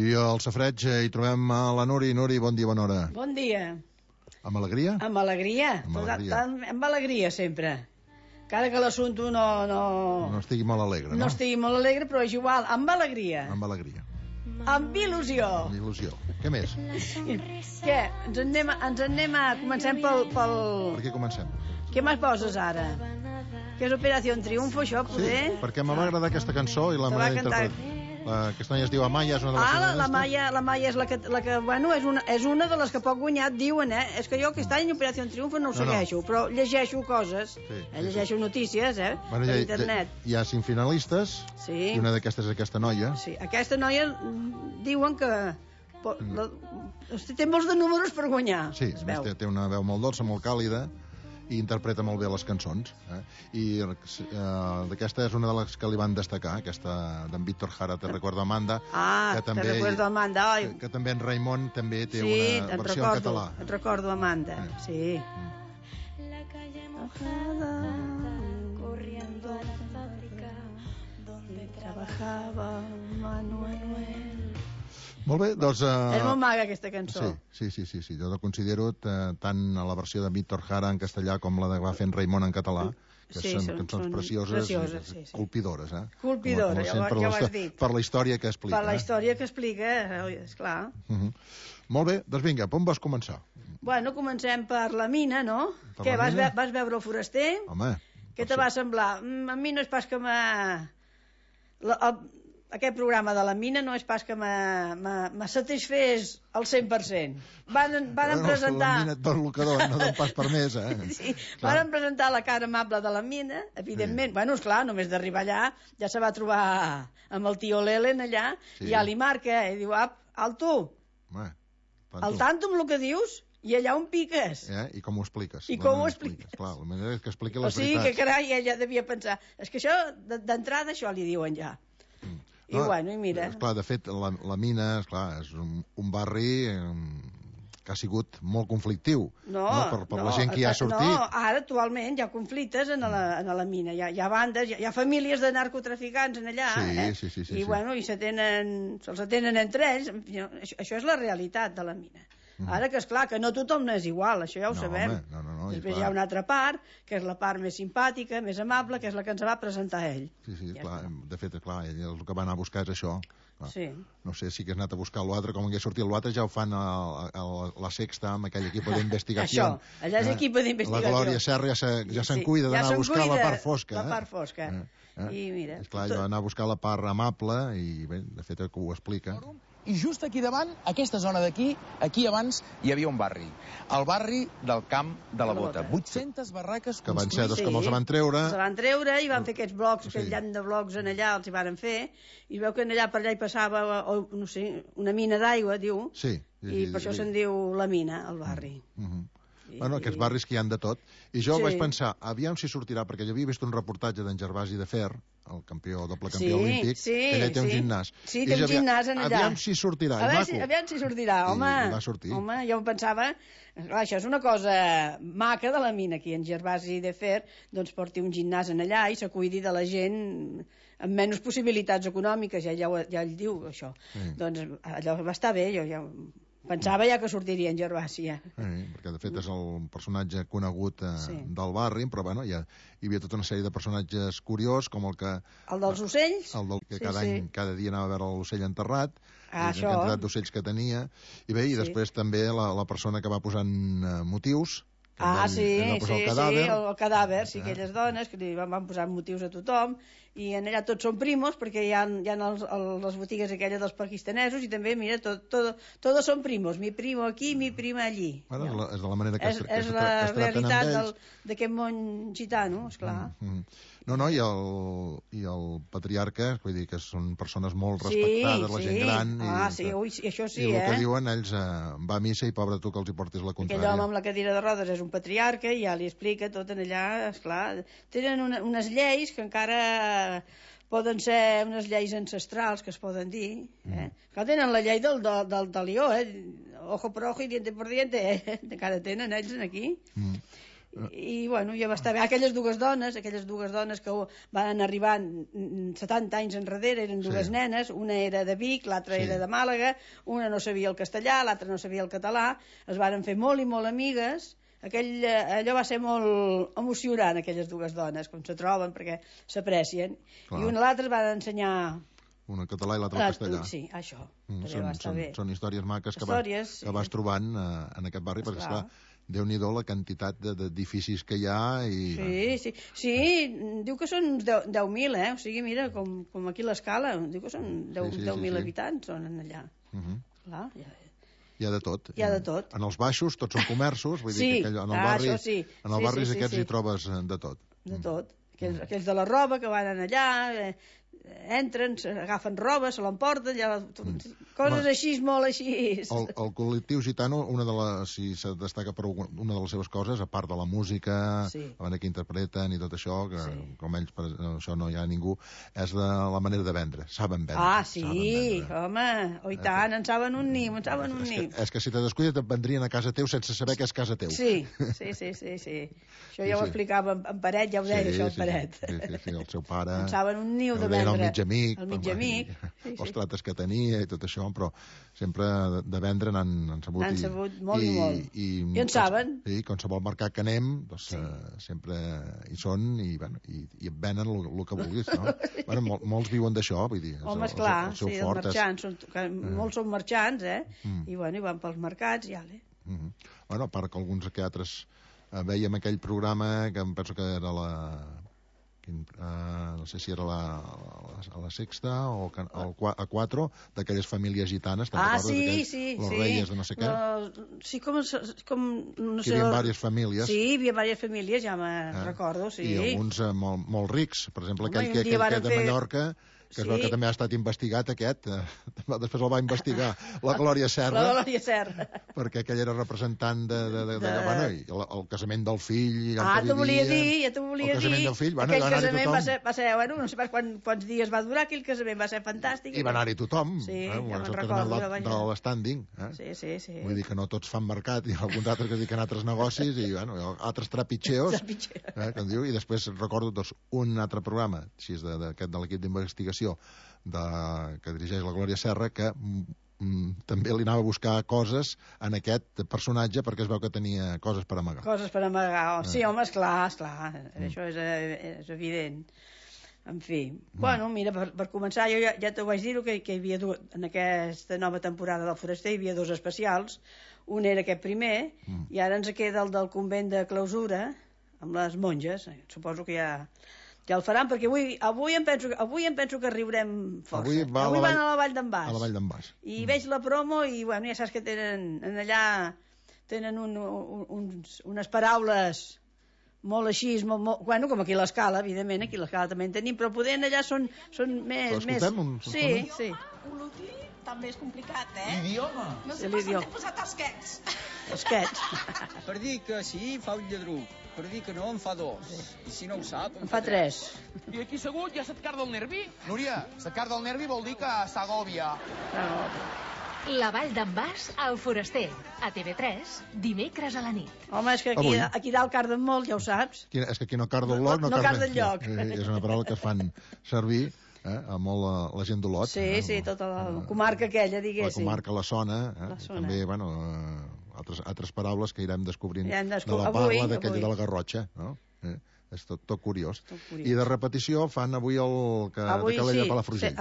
I al safreig hi trobem a la Nuri. Nuri, bon dia, bona hora. Bon dia. Amb alegria? Amb alegria. Amb alegria, sempre. Encara que l'assumpte no estigui molt alegre, no? No estigui molt alegre, però és igual. Amb alegria. Amb alegria. Amb il·lusió. Amb il·lusió. Què més? Què? Ens anem a... Comencem pel... Per què comencem? Què més poses ara? Que és Operació Triunfo, això, poder? Sí, perquè m'va agradar aquesta cançó i la manera d'interpretar. Aquesta noia es diu Amaya, és una de les... La Maya és la que bueno, és una de les que poc guanyat diuen, És que jo aquest any Operació Triunfo no ho segueixo, però llegeixo coses, llegeixo notícies, per internet. Hi ha 5 finalistes, i una d'aquestes és aquesta noia. Sí, aquesta noia diuen que té molts de números per guanyar. Sí, té una veu molt dolça, molt càlida, i interpreta molt bé les cançons. I d'aquesta és una de les que li van destacar, aquesta d'en Víctor Jara, Te recuerdo Amanda. Te recuerdo Amanda, oi. Que també en Raimon també té una versió en català. Sí, et recordo Amanda, sí. Corriendo a la fábrica donde trabajaba Manuel. Molt bé, doncs... És molt maga aquesta cançó. Sí, jo la considero tant a la versió de Víctor Jara en castellà com la que va fer en Raimon en català, que són cançons precioses, colpidores. Colpidores, ja ho has dit. Per la història que explica. Per la història que explica, esclar. Molt bé, doncs vinga, on vas començar? Bueno, comencem per la mina, no? Què, vas veure el foraster? Home... Què te va semblar? A mi no és pas que aquest programa de la mina no és pas que me satisfés al 100%. Van presentar... La mina et dona el que dona, no pas per més, Sí, van presentar la cara amable de la mina, evidentment. Bueno, esclar, només d'arribar allà ja se va trobar amb el tio Lelen allà, i ja li marca, i diu, alto, al tanto amb el que dius, i allà on piques. I com ho expliques. I com ho expliques. Clar, la manera és que expliqui les veritats. O sigui que, carai, ella devia pensar, és que això, d'entrada, això li diuen ja. I bueno, i mira... Esclar, de fet, la mina, esclar, és un barri que ha sigut molt conflictiu. Per la gent que hi ha sortit. No, ara actualment hi ha conflictes a la mina. Hi ha bandes, hi ha famílies de narcotraficants en allà. Sí. I bueno, se'ls atenen entre ells. Això és la realitat de la mina. Ara que, esclar, que no tothom és igual, això ja ho sabem. No, després hi ha una altra part, que és la part més simpàtica, més amable, que és la que ens va presentar ell. Sí, clar, de fet, clar, ell el que va anar a buscar és això. No sé si que has anat a buscar l'altre, com hagués sortit l'altre, ja ho fan a la Sexta, amb aquell equip d'investigació. Això, allà és equip d'investigació. La Glòria Serra ja se'n cuida d'anar a buscar la part fosca. La part fosca. I mira... Esclar, ell va anar a buscar la part amable, i bé, de fet, que ho explica. I just aquí davant, aquesta zona d'aquí, aquí abans hi havia un barri. El barri del Camp de la Bota. 800 barraques que van ser dos que els van treure. Els van treure i van fer aquests blocs, aquest llant de blocs en allà, els hi van fer, i veu que en allà per allà hi passava, no sé, una mina d'aigua, diu, i per això se'n diu la mina, el barri. Bueno, aquests barris que hi han de tot. I jo vaig pensar, aviam si sortirà, perquè jo havia vist un reportatge d'en Gervasi de Fer, el doble campió olímpic, que ell té un gimnàs. Sí, té un gimnàs en allà. Aviam si sortirà, aviam si sortirà, home. I va sortir. Home, jo em pensava, clar, això és una cosa maca de la mina, aquí en Gervasi de Fer, doncs porti un gimnàs en allà i se cuidi de la gent amb menys possibilitats econòmiques, ja ell diu això. Doncs allò va estar bé, jo ja... Pensava ja que sortiria en Gervasi, perquè de fet és el personatge conegut del barri, però bueno, hi havia tota una sèrie de personatges curiosos, com el que... El dels ocells? El que cada dia anava a veure l'ocell enterrat, la quantitat d'ocells que tenia, i bé, i després també la persona que va posant motius, el cadàver, sí, aquelles dones que li van posar motius a tothom, i en allà tots són primos, perquè hi ha les botigues aquelles dels pakistanesos, i també, mira, todos són primos, mi primo aquí, mi prima allí. Bueno, és de la manera que es traten amb ells. És la realitat d'aquest món gitano, esclar. No, i el patriarca, vull dir que són persones molt respectades, la gent gran, i això sí, i el que diuen ells, va a missa i pobre tu que els hi portis la contrària. Aquell home amb la cadira de rodes és un patriarca i ja li explica tot en allà, esclar. Tenen unes lleis que encara poden ser unes lleis ancestrals que es poden dir, que tenen la llei del lió, ojo por ojo i diente por diente, encara tenen ells aquí. I bueno, ja va estar bé. Aquelles dues dones que van arribar 70 anys enrere, eren dues nenes, una era de Vic, l'altra era de Màlaga, una no sabia el castellà, l'altra no sabia el català, es varen fer molt i molt amigues. Allò va ser molt emocionant, aquelles dues dones, com se troben, perquè s'aprecien. I una a l'altra es van ensenyar... Una en català i l'altra en castellà. Sí, això. Va estar bé. Són històries maques que vas trobant en aquest barri, perquè, esclar, Déu-n'hi-do la quantitat d'edificis que hi ha i... Sí, diu que són uns 10.000, O sigui, mira, com aquí l'Escala, diu que són 10.000 habitants, són allà. Clar, hi ha de tot. Hi ha de tot. En els baixos tots són comerços, vull dir que en els barris aquests hi trobes de tot. De tot. Aquells de la roba que van allà... entren, agafen roba, se l'emporten, coses així, molt així. El col·lectiu gitano, si se destaca per una de les seves coses, a part de la música, la manera que interpreten i tot això, que com ells, això no hi ha ningú, és la manera de vendre. Saben vendre. Ah, sí, home, i tant, en saben un niu, És que si te descuides et vendrien a casa teu sense saber que és casa teu. Sí. Això ja ho explicava en Paret, ja ho deia això en Paret. Sí, el seu pare... En saben un niu de vendre. El mig amic, els trates que tenia i tot això, però sempre de vendre n'han sabut. N'han sabut molt i molt. I en saben. Sí, qualsevol mercat que anem, doncs, sempre hi són i et venen el que vulguis, no? Bueno, molts viuen d'això, vull dir. Home, esclar, sí, els marxants, molts són marxants, i van pels mercats i ale. Bueno, a part que alguns que altres veiem aquell programa que em penso que era no sé si era a la Sexta o a 4, d'aquelles famílies gitanes, te'n recordes? Sí. Los Reyes de no sé què. Sí, com no sé... Hi havia diverses famílies. Sí, hi havia diverses famílies, ja me'n recordo, sí. I alguns molt rics, per exemple, aquell que de Mallorca, que es veu que també ha estat investigat aquest, després el va investigar la Glòria Serra, perquè aquell era representant el casament del fill, t'ho volia dir, el casament del fill, aquell casament va ser, no sé quants dies va durar, aquell casament va ser fantàstic. I va anar-hi tothom, ja me'n recordo, de l'estànding, sí. Vull dir que no tots fan mercat, i alguns altres que dediquen a altres negocis, i altres trapitxeos, i després recordo un altre programa, així de l'equip d'investigació que dirigeix la Glòria Serra, que també li anava a buscar coses en aquest personatge perquè es veu que tenia coses per amagar. Sí, home, esclar, això és evident. En fi, bueno, mira, per començar, jo ja t'ho vaig dir que hi havia en aquesta nova temporada del Foraster hi havia 2 especials, un era aquest primer, i ara ens queda el del convent de clausura amb les monges, suposo que ja el faran, perquè avui em penso que riurem força. Avui van a la Vall d'en Bas. A la Vall d'en Bas. I veig la promo i, bueno, ja saps que allà tenen unes paraules molt així, bueno, com aquí a l'Escala, evidentment, aquí a l'Escala també en tenim, però poder allà són més... L'escoltem? Sí. Olotí també és complicat, Idioma. No sé per què t'he posat esquets. Esquets. Per dir que sí, fa un lladruc. Per dir que no, en fa 2. I si no ho sap, en fa 3. I aquí segut ja se't carda el nervi? Núria, se't carda el nervi vol dir que s'agòbia. La Vall d'en Bas al Foraster, a TV3, dimecres a la nit. Home, és que aquí dalt carden molt, ja ho saps. És que aquí no carda el lloc, no carda el lloc. És una paraula que es fan servir a molt la gent d'Olot. Sí, tota la comarca aquella, diguéssim. La comarca la Zona. També, bueno, altres paraules que irem descobrint de la parla d'aquella de la Garrotxa, no? És tot curiós. I de repetició fan avui el de Calella de Palafrugell.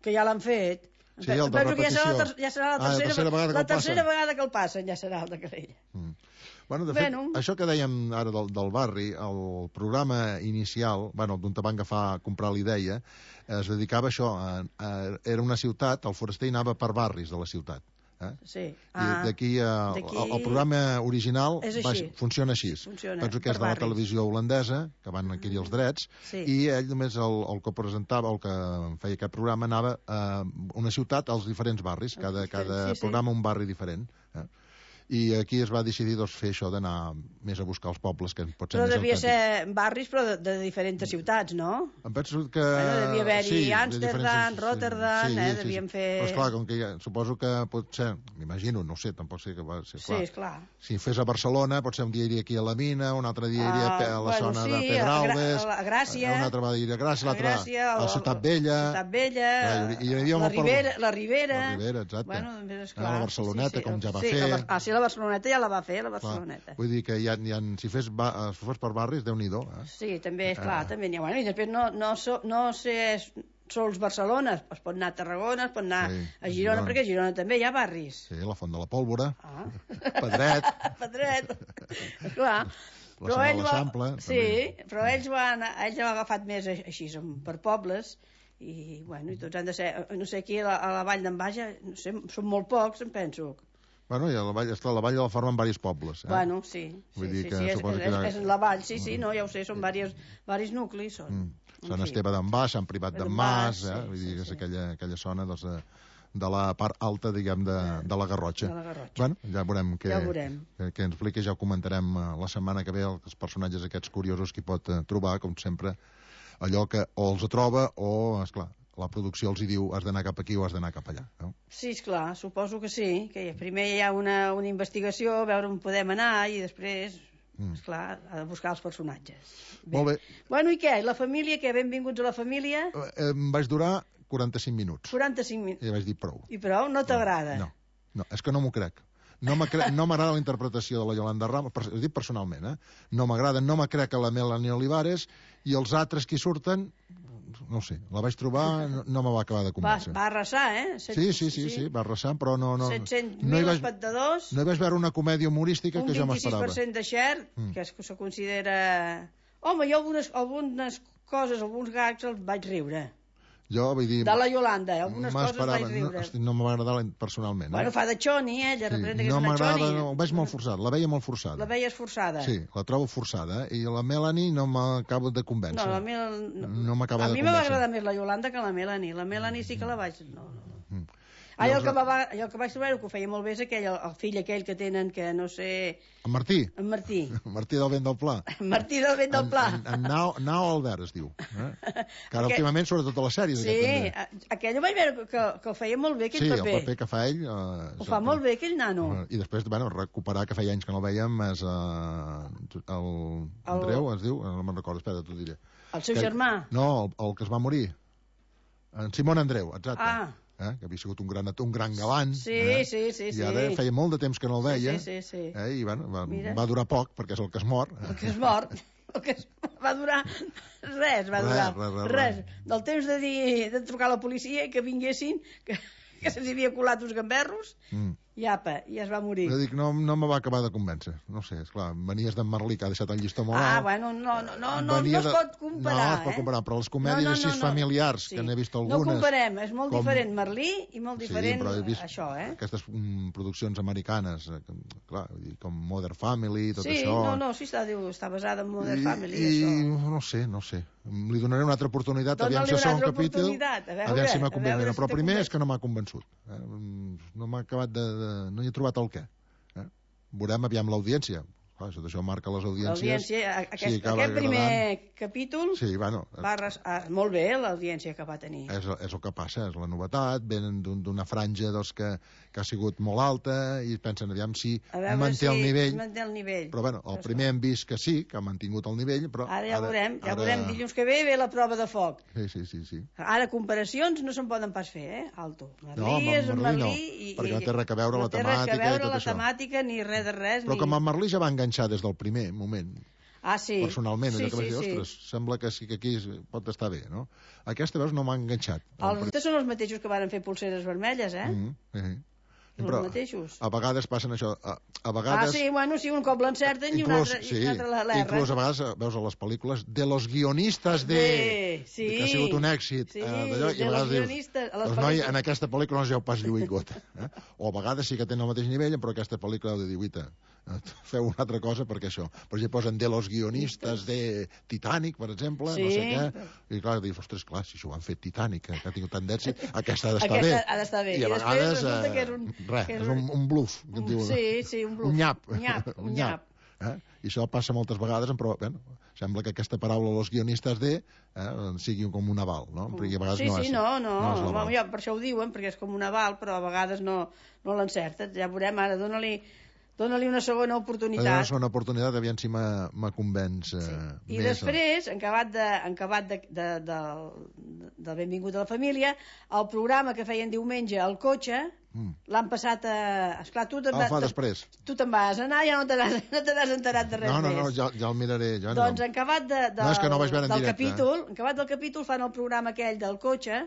Que ja l'han fet. Sí, el de repetició. Ja serà la tercera vegada que el passen, ja serà el de Calella. Bueno, de fet, això que dèiem ara del barri, el programa inicial, bueno, d'on te van agafar a comprar la idea, es dedicava a això. Era una ciutat, el Foraster anava per barris de la ciutat. Sí. I d'aquí el programa original funciona així. Penso que és de la televisió holandesa, que van adquirir els drets, i ell només el que presentava, el que feia aquest programa, anava a una ciutat als diferents barris, cada programa un barri diferent. I aquí es va decidir fer això d'anar més a buscar els pobles, que pot ser però més devia autèntic. ser barris, però de diferents ciutats, no? Em penso que... Devia haver-hi de Amsterdam, diferents- Rotterdam, devien fer... Però esclar, com que suposo que pot ser, m'imagino, no sé, tampoc sé que va ser clar. Sí, esclar. Si fes a Barcelona, potser un dia iria aquí a la Mina, un altre dia iria a la zona de Pedralbes, a Gràcia, un altre dia a Gràcia, l'altre a la Ciutat Vella, la Ribera, exacte. Bueno, a la Barceloneta, com ja va fer. Sí, la Barceloneta ja la va fer, la Barceloneta. Vull dir que si fes per barris, Déu-n'hi-do. Sí, també, esclar, també n'hi ha. Bueno, i després no sé sols Barcelona, es pot anar a Tarragona, es pot anar a Girona, perquè a Girona també hi ha barris. Sí, la Font de la Pólvora, Pedret. Pedret, esclar. La zona de l'Eixample. Sí, però ells han agafat més així, per pobles, i tots han de ser, no sé, aquí a la Vall d'en Baix, no sé, són molt pocs, em penso. Bueno, i a la Vall de la formen diversos pobles. Bueno, sí. Vull dir que és la Vall, sí, no, ja ho sé, són diversos nuclis. Sant Esteve d'en Bas, Sant Privat d'en Mas, vull dir que és aquella zona de la part alta, diguem, de la Garrotxa. Bueno, ja veurem què ens explica, ja ho comentarem la setmana que ve, els personatges aquests curiosos que hi pot trobar, com sempre, allò que o els troba o, esclar, la producció els hi diu has d'anar cap aquí o has d'anar cap allà, no? Sí, esclar, suposo que sí, que primer hi ha una investigació, a veure on podem anar i després, esclar, ha de buscar els personatges. Molt bé. Bueno, i què? La família, què? Benvinguts a la família? Em vaig durar 45 minuts. 45 minuts. I vaig dir prou. I prou? No t'agrada? No, és que no m'ho crec. No m'agrada la interpretació de la Yolanda Ramos, ho dic personalment, no m'agrada, no me crec a la Melanie Olivares, i els altres que surten, no sé, la vaig trobar, no me va acabar de convèncer. Va arrasar, Sí, va arrasar, però no... 700.000 espectadors... No hi vaig veure una comèdia humorística que jo m'esperava. Un 26% de share, que se considera... Home, jo algunes coses, alguns gags els vaig riure. Jo, vull dir... De la Yolanda, algunes coses vaig riure. No m'va agradar personalment. Bueno, fa de Choni, ella representa que és una Choni. No, ho veig molt forçat, la veia molt forçada. La veies forçada? Sí, la trobo forçada, i la Melanie no m'acaba de convèncer. No m'acaba de convèncer. A mi m'ha agradat més la Yolanda que la Melanie. La Melanie sí que la vaig... El que vaig trobar, el que ho feia molt bé, és el fill aquell que tenen, que no sé... En Martí. En Martí. Martí del Vent del Pla. Martí del Vent del Pla. En Nau Albert es diu. Que ara últimament, sobretot a les sèries. Sí, aquell ho vaig veure que el feia molt bé, aquell paper. Sí, el paper que fa ell... Ho fa molt bé, aquell nano. I després, recuperar, que feia anys que no el veiem, és el Andreu, es diu? No me'n recordo, espera, t'ho diré. El seu germà? No, el que es va morir. En Simón Andreu, exacte. Que havia sigut un gran galant. Sí. I ara feia molt de temps que no el veia. Sí. I va durar poc, perquè és el que es mor. El que es mor. Va durar res. Del temps de trucar a la policia i que vinguessin, que se'ls havia colat uns gamberros, i apa, i es va morir. Jo dic, no me va acabar de convèncer. No sé, esclar, venies d'en Merlí, que ha deixat el llistó molt alt. Bueno, no es pot comparar. No es pot comparar, però les comèdies així familiars, que n'he vist algunes... No comparem, és molt diferent Merlí i molt diferent això, Aquestes produccions americanes, clar, com Modern Family, tot això... Sí, està basada en Modern Family, això. No sé. Li donaré una altra oportunitat, aviam si segon capítol, aviam si m'ha convençut. Però primer és que no m'ha convençut. No m'ha acabat de... No hi he trobat el què. Veurem aviam l'audiència. Això marca les audiències. Aquest primer capítol va molt bé l'audiència que va tenir. És el que passa, és la novetat, venen d'una franja que ha sigut molt alta i pensen aviam si manté el nivell. Però bueno, el primer hem vist que sí, que ha mantingut el nivell, però... Ara ja veurem, dilluns que ve la prova de foc. Sí. Ara comparacions no se'n poden pas fer, Alto. Merlí és Merlí, perquè no té res a veure la temàtica i tot això. No té res a veure la temàtica, ni res de res. Però com en Merlí ja va enganxar des del primer moment. Sí. Personalment, allò que vaig dir, ostres, sembla que sí que aquí pot estar bé, no? Aquesta, veus, no m'ha enganxat. Els són els mateixos que van fer pulseres vermelles, Però els mateixos. A vegades passen això. A vegades... sí, un cop l'encerten i un altre l'erra. Inclús a vegades veus a les pel·lícules de los guionistas que ha sigut un èxit. Sí, de los guionistas. Doncs noi, en aquesta pel·lícula no es veu pas lluir gota. O a vegades sí que tenen el mateix nivell, però aquesta pel·lícula heu de dir, uita, feu una altra cosa perquè això. Per exemple, posen de los guionistas de Titanic, per exemple, no sé què. I clar, dius, ostres, clar, si això ho han fet Titanic, que ha tingut tant d'èxit, aquesta ha d'estar bé. Ha d'estar bé. I a vegades... resulta que és res, és un bluff. Sí, un bluff. Un nyap. Un nyap. I això passa moltes vegades, però sembla que aquesta paraula los guionistes sigui com un aval, no? Perquè a vegades no és l'aval. Ja, per això ho diuen, perquè és com un aval, però a vegades no l'encerten. Ja veurem, ara dóna-li una segona oportunitat. Una segona oportunitat, aviam si me convenç més. I després, en acabat del Benvingut a la Família, el programa que feien diumenge al cotxe, l'han passat a... Esclar, tu després. Tu te'n vas anar i ja no te n'has enterat de res més. No, ja el miraré. Doncs en acabat és que no vaig veure en directe. En acabat del capítol fan el programa aquell del cotxe,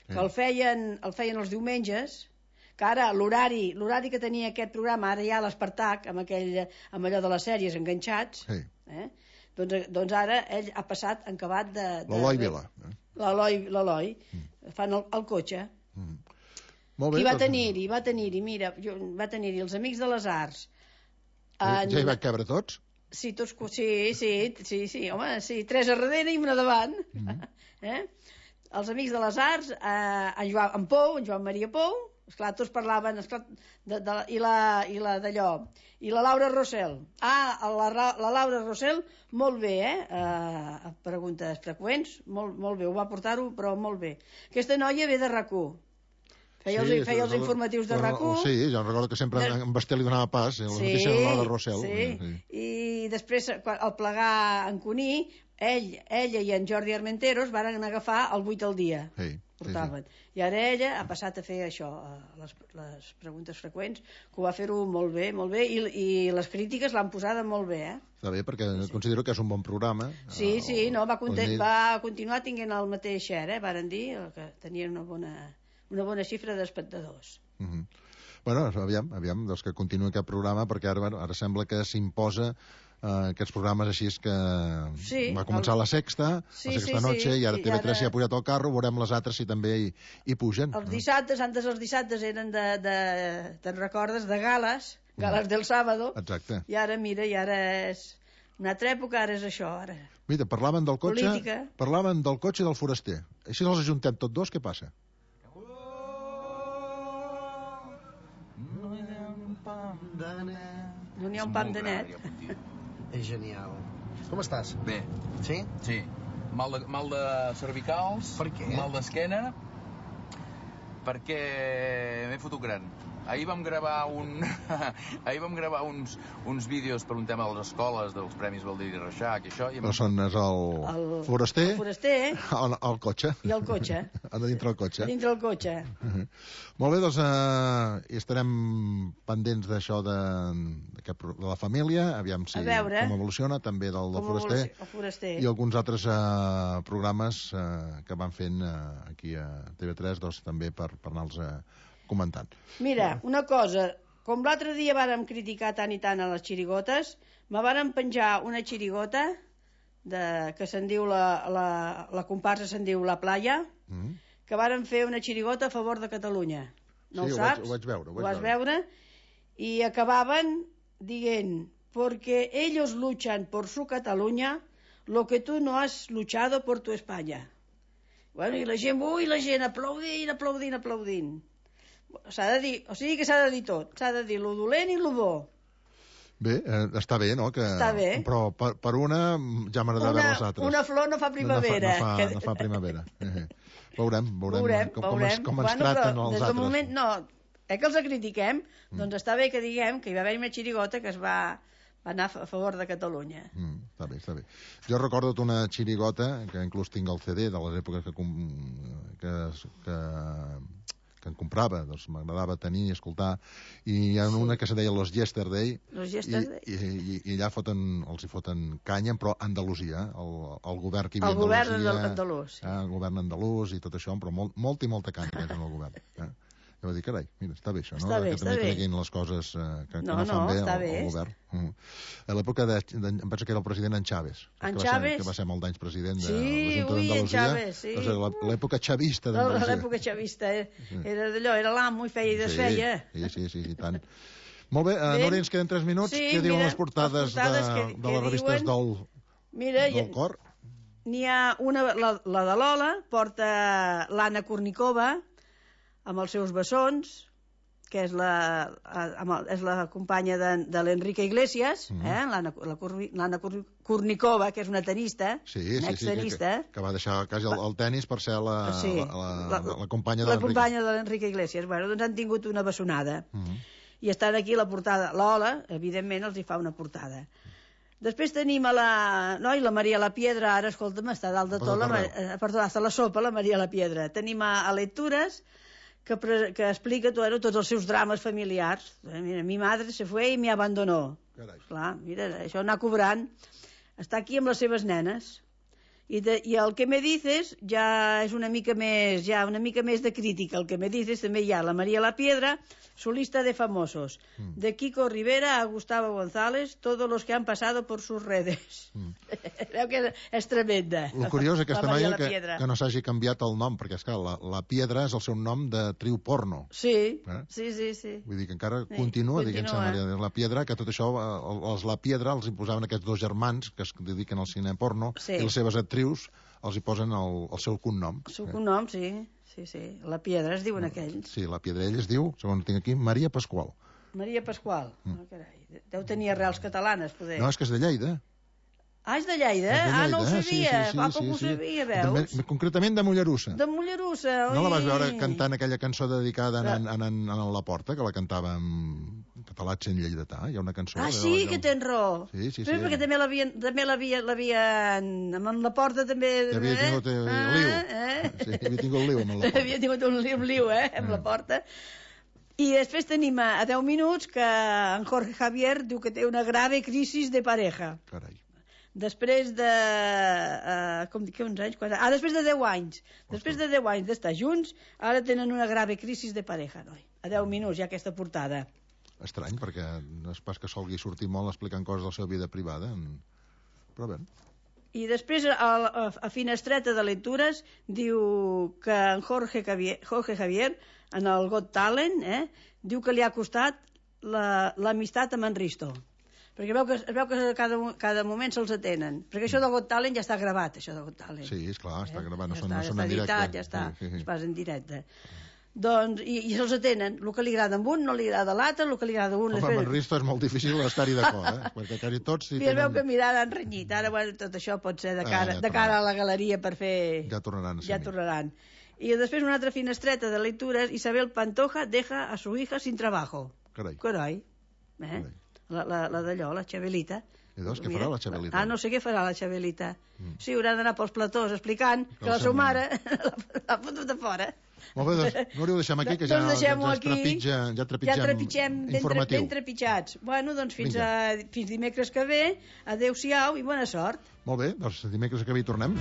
que el feien els diumenges, que ara l'horari que tenia aquest programa, ara ja l'Espartac, amb allò de les sèries enganxats, doncs ara ell ha passat en acabat de... L'Eloi Vila. L'Eloi. Fan el cotxe. Molt bé. I va tenir-hi, mira, va tenir-hi els Amics de les Arts. Ja hi va cabre tots? Sí, tots, sí, home, sí, 3 a darrere i una davant. Els Amics de les Arts, en Joan Maria Pou, esclar, tots parlaven, i la d'allò, i la Laura Rossell. La Laura Rossell, molt bé, preguntes freqüents, molt bé, ho va portar-ho, però molt bé. Aquesta noia ve de RAC1. Feia els informatius de RAC1. Sí, jo recordo que sempre en Basté li donava pas, la notícia de la Rossell. Sí, i després, al plegar en Cuní, ella i en Jordi Armenteros van agafar el 8 al dia. Portaven. I ara ella ha passat a fer això, les preguntes freqüents, que ho va fer-ho molt bé, i les crítiques l'han posada molt bé, Està bé, perquè considero que és un bon programa. Sí, va continuar tinguent el mateix share, varen dir, que tenien una bona xifra d'espectadors. Bueno, aviam, doncs que continuï aquest programa, perquè ara sembla que s'imposa aquests programes així que va començar la Sexta Noche, i ara TV3 s'hi ha pujat al carro, veurem les altres si també hi pugen. Els dissabtes, antes els dissabtes eren te'n recordes, de gales del sábado. Exacte. I ara, mira, és una altra època, ara és això, ara. Mira, parlaven del cotxe, política. Parlaven del cotxe i del foraster. Així els ajuntem tots dos, què passa? No n'hi ha un pam de net. És genial. Com estàs? Bé. Sí? Sí. Mal de cervicals. Per què? Mal d'esquena. Perquè m'he fotut gran. Ahir vam gravar uns vídeos per un tema de les escoles, dels Premis Baldiri i Reixac i això. Però és el foraster, el cotxe. I el cotxe. A dintre el cotxe. Dintre el cotxe. Molt bé, doncs hi estarem pendents d'això de la família, aviam si com evoluciona, també del foraster, i alguns altres programes que van fent aquí a TV3, doncs també per anar-los comentant. Mira, una cosa, com l'altre dia vàrem criticar tant i tant a les xirigotes, me vàrem penjar una xirigota que se'n diu la comparsa se'n diu La Playa, que vàrem fer una xirigota a favor de Catalunya. No ho saps? Ho vaig veure. Ho vas veure? I acabaven dient, porque ellos luchan por su Cataluña lo que tú no has luchado por tu España. Bueno, i la gent aplaudint. S'ha de dir, o sigui que s'ha de dir tot, s'ha de dir lo dolent i lo bo. Bé, està bé, no? Està bé. Però per una ja m'agrada veure les altres. Una flor no fa primavera. No fa primavera. Veurem com ens traten els altres. Moment, no, que els critiquem, doncs està bé que diguem que hi va haver una xirigota que es va anar a favor de Catalunya. Està bé. Jo recordo una xirigota, que inclús tinc el CD de les èpoques que em comprava, doncs m'agradava tenir i escoltar, i hi ha una que se deia Los Yesterday, i allà els hi foten canya, però Andalusia, el govern que hi havia a Andalusia, el govern andalús i tot això, però molta canya en el govern. Jo vaig dir, carai, mira, està bé això, no? Que també creguin les coses que no fan bé al govern. A l'època em penso que era el president en Chávez. Que va ser molt d'anys president de l'Ajuntament d'Andalusia. L'època xavista d'Andalusia. L'època xavista, era d'allò, era l'amo i feia i desfeia. Sí, tant. Molt bé, Núria, ens queden 3 minuts. Què diuen les portades de les revistes del cor? N'hi ha una, la de Lola, porta l'Anna Kournikova, amb els seus bessons, que és la companya de l'Enrique Iglesias, l'Anna Kurnikova, que és una tenista, una extenista. Que va deixar quasi el tennis per ser la companya de l'Enrique. La companya de l'Enrique Iglesias. Bueno, doncs han tingut una bessonada. I estan aquí a la portada. L'Ola, evidentment, els hi fa una portada. Després tenim la Maria la Piedra, ara, escolta'm, està dalt de tot, perdó, està a la sopa, la Maria la Piedra. Tenim a Lectures, que explica tots els seus drames familiars. Mira, mi madre se fue y me abandonó. Clar, mira, això anar cobrant. Està aquí amb les seves nenes. I el que me dices ja és una mica més de crítica. El que me dices també hi ha la María la Piedra, su lista de famosos. De Kiko Rivera a Gustavo González, todos los que han pasado por sus redes. Veu que és tremenda. El curiós aquesta noia que no s'hagi canviat el nom, perquè és clar, la Piedra és el seu nom de triu porno. Sí. Vull dir que encara continua dient-se la Piedra, que tot això, els la Piedra els imposaven aquests dos germans que es dediquen al cine porno, i les seves actrius els hi posen el seu cognom. El seu cognom, sí. La Piedra es diuen aquells. Sí, la Piedra. Ell es diu, segons tinc aquí, Maria Pasqual. Maria Pasqual. Carai. Deu tenir arrels catalanes, poder. No, és que és de Lleida. Ah, és de Lleida? No ho sabia. Com ho sabia, veus? Concretament de Mollerussa. De Mollerussa, oi? No la vas veure cantant aquella cançó dedicada a la Porta, que la cantava en català sent lleidatà? Hi ha una cançó... Ah, sí, que tens raó. Sí. Perquè també l'havien... Amb la Porta també... Havia tingut liu. Sí, havia tingut liu amb la Porta. Havia tingut un liu, amb la Porta. I després tenim a 10 minuts que en Jorge Javier diu que té una grave crisi de pareja. Carai. Després de... uns anys? Després de 10 anys. Després de 10 anys d'estar junts, ara tenen una grave crisi de pareja, noi. A 10 minuts, ja aquesta portada. Estrany, perquè no és pas que solgui sortir molt explicant coses de la seva vida privada. Però bé. I després, a finestreta de lectures, diu que en Jorge Javier, en el Got Talent, diu que li ha costat l'amistat amb en Risto. Perquè es veu que cada moment se'ls atenen. Perquè això del Got Talent ja està gravat, això del Got Talent. Sí, esclar, està gravat, no són en directe. Ja està, es passa en directe. Doncs, i se'ls atenen. El que li agrada a un no li agrada a l'altre, el que li agrada a un... Home, amb en Risto és molt difícil estar-hi d'acord, perquè quasi tots... I es veu que mirada han renyit. Ara, tot això pot ser de cara a la galeria per fer... Ja tornaran. I després una altra finestreta de lectures, Isabel Pantoja deja a su hija sin trabajo. Carai. La d'allò, la Xabelita. I doncs, què farà la Xabelita? No sé què farà la Xabelita. Sí, haurà d'anar pels platós explicant que la seva mare l'ha fotut de fora. Molt bé, doncs, Núria, ho deixem aquí, que ja trepitgem informatiu. Ben trepitjats. Bueno, doncs fins dimecres que ve. Adéu-siau i bona sort. Molt bé, doncs dimecres que ve hi tornem.